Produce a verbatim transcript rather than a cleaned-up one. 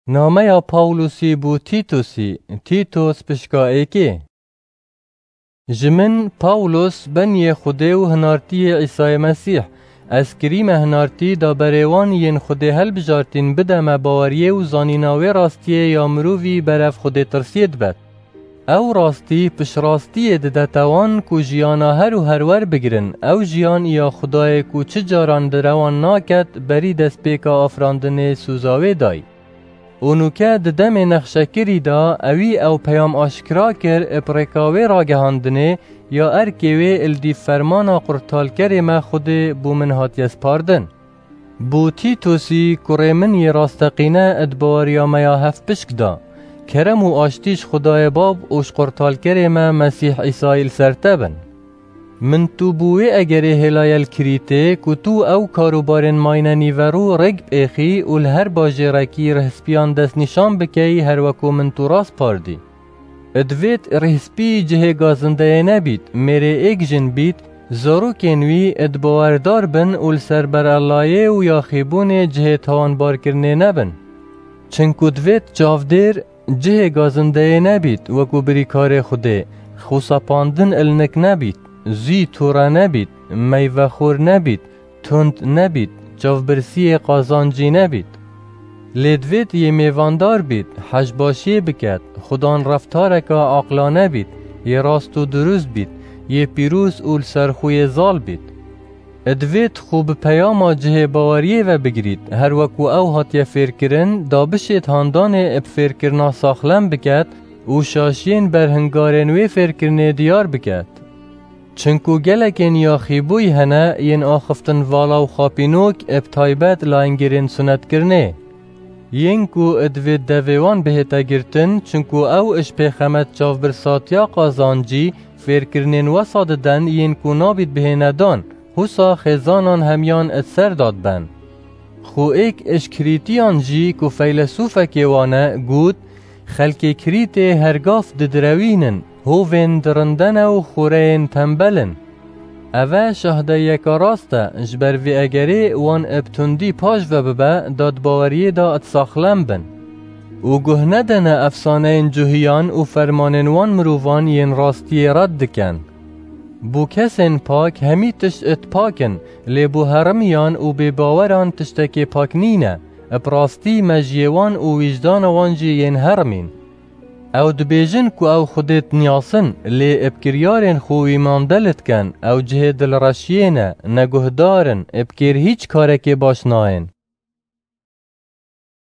Nameya Pawlosî bo Tîtosî, Tîtos pişka êkê. Ji min, Pawlos, beniyê Xwedê û hinartiyê Îsayê Mesîh, ez kirîme hinartî da berê wan yên Xwedê helbijartîn bide me baweriyê û zanîna wê rastiyê ya mirovî berev Xwedêtirsiyê dibet. Ew rastî piştrastiyê didete wan ku jiyana her û herwer bigirin, ew jiyan ya Xwedayê ku çi caran di rewan naket, berî destpêka afirandinê sûza wê dayî. Û nûke di demê nexşekirî de ewî ew peyam aşkira kir, bi rêka wê ragihandinê ya erkê wê li dîv fermana qurtalkerê me Xwedê bo min hatiye spardin. Bo Tîtosî, kurê min yê rasteqîne, di baweriya me ya hevpişk de, kerem û aştî ji Xwedayê Bab û ji qurtalkerê me Mesîh Îsayî li ser te bin. Min tu bo wê egerê hêlaye li Krîtê, ku tu ew karûbarên mayne nîverû rêk bêxî û li her bajêrekî rihspiyan destnîşan bikeyî, her wekû min tu raspardî. Divêt rihspî cihê gazindeyê nebît, mêrê êk jin bît, zarokên wî dibawerdar bin û li ser berellayê û yaxîbûnê cihê tawanbarkirinê nebin. Çinku divêt çavdêr cihê gazindeyê nebît, wekû birîkarê Xwedê, xwesepandin ilnik nebît, zû tûre nebît, meyvexwar nebît, tund nebît, çavbirsiyê qazancî nebît. Lê divêt yê mêvandar bît, hejbaşiyê biket, xudan reftareka aqlane bît, yê rast û dirust bît, yê pîroz û li ser xwe yê zal bît. Divêt xwe bi peyama cihê baweriyê ve bigirît, her wekû ew hatiye fêrkirin, da bişêt handanê bi fêrkirina saxlem biket û şaşiyên berhingarên wê fêrkirinê diyar biket. Çinku gelekên yaxîbûyî hene yên axiftin vala û xapînok, bi taybet layengirên sunetkirinê. Yên ku divêt devê wan bihête girtin, çinku ew ji pêxemet çavbirsatiya qazancî fêrkirinên wesa diden yên ku nabît bihêne dan, husa xêzanan hemiyan di ser da diben. Xwe êk ji Krîtiyan jî ku feylesûfekê wan e, got, Xelkê Krîtê hergav didirewînin, hovên dirinde ne û xoreyên tembel in. Eve şahdeyiyeke rast e, ji ber vê egerê wan bi tundî paş ve bibe, da di baweriyê de di saxlem bin. Û guh nedene efsaneyên cuhiyan û fermanên wan mirovan yên rastiyê red dikin. Bo kesên pak hemî tişt it pak in, lê bo herimiyan û bêbaweran tiştekê pak nîne, bi rastî mejiyê wan û wîjdana wan jî yên herimîn. Ew dibêjin ku ew Xwedê diniyasin, lê bi kiryarên xwe wî mandel dikin, ew cihê dilreşiyê ne, neguhdar in, bi kêr hîç karekê baş nayên.